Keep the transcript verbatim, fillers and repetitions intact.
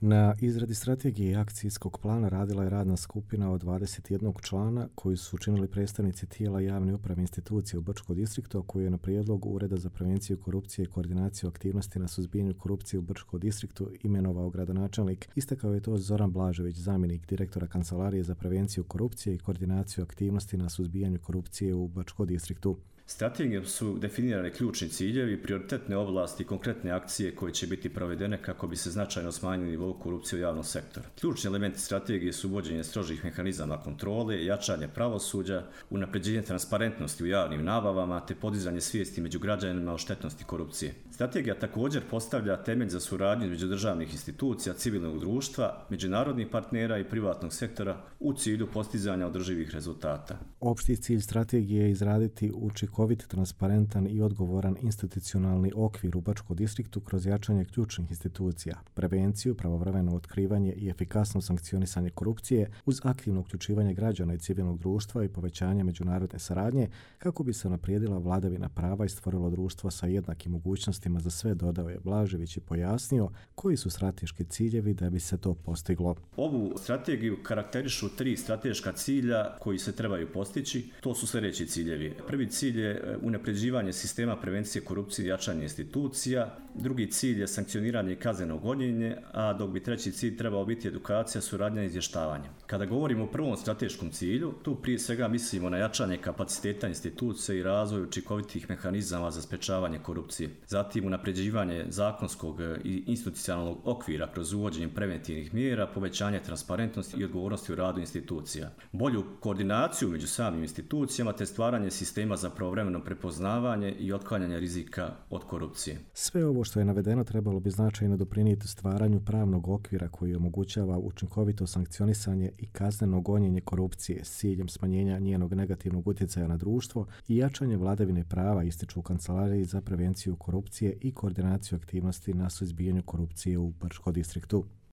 Na izradi strategije i akcijskog plana radila je radna skupina od dvadeset jednog člana koji su učinili predstavnici tijela javne uprave institucije u Brčkom distriktu, koji je na prijedlog Ureda za prevenciju korupcije i koordinaciju aktivnosti na suzbijanju korupcije u Brčkom distriktu imenovao gradonačelnik. Istakao je to Zoran Blažević, zamjenik direktora Kancelarije za prevenciju korupcije i koordinaciju aktivnosti na suzbijanju korupcije u Brčkom distriktu. Strategijom su definirane ključni ciljevi, prioritetne oblasti i konkretne akcije koje će biti provedene kako bi se značajno smanjili nivo korupcije u javnom sektoru. Ključni elementi strategije su uvođenje strožih mehanizama kontrole, jačanje pravosuđa, unapređenje transparentnosti u javnim nabavama te podizanje svijesti među građanima o štetnosti korupcije. Strategija također postavlja temelj za suradnju između državnih institucija, civilnog društva, međunarodnih partnera i privatnog sektora u cilju postizanja održivih rezultata. Opšti cilj strategije je izraditi učinkovit, transparentan i odgovoran institucionalni okvir u Brčkom distriktu kroz jačanje ključnih institucija, prevenciju, pravovremeno otkrivanje i efikasno sankcionisanje korupcije uz aktivno uključivanje građana i civilnog društva i povećanje međunarodne saradnje kako bi se unaprijedila vladavina prava i stvorilo društvo sa jednakim mogućnostima za sve, dodao je Blažević i pojasnio koji su strateški ciljevi da bi se to postiglo. Ovu strategiju karakterišu tri strateška cilja koji se trebaju postići. To su sljedeći ciljevi. Prvi cilj je unapređivanje sistema prevencije korupcije i jačanje institucija. Drugi cilj je sankcioniranje i kazneno gonjenje, a dok bi treći cilj trebao biti edukacija, suradnja i izvještavanje. Kada govorimo o prvom strateškom cilju, tu prije svega mislimo na jačanje kapaciteta institucija i razvoj učinkovitih mehanizama za sprečavanje korupcije. Zatim unapređivanje zakonskog i institucionalnog okvira kroz uvođenje preventivnih mjera, povećanje transparentnosti i odgovornosti u radu institucija. Bolju koordinaciju među samim institucijama te stvaranje sistema za pravovremeno prepoznavanje i otklanjanje rizika od korupcije. Sve ovo što je navedeno trebalo bi značajno doprinijeti stvaranju pravnog okvira koji omogućava učinkovito sankcionisanje i kazneno gonjenje korupcije s ciljem smanjenja njenog negativnog utjecaja na društvo i jačanje vladavine prava, ističu u Kancelariji za prevenciju korupcije i koordinaciju aktivnosti na suzbijanju korupcije u Brčkom distriktu.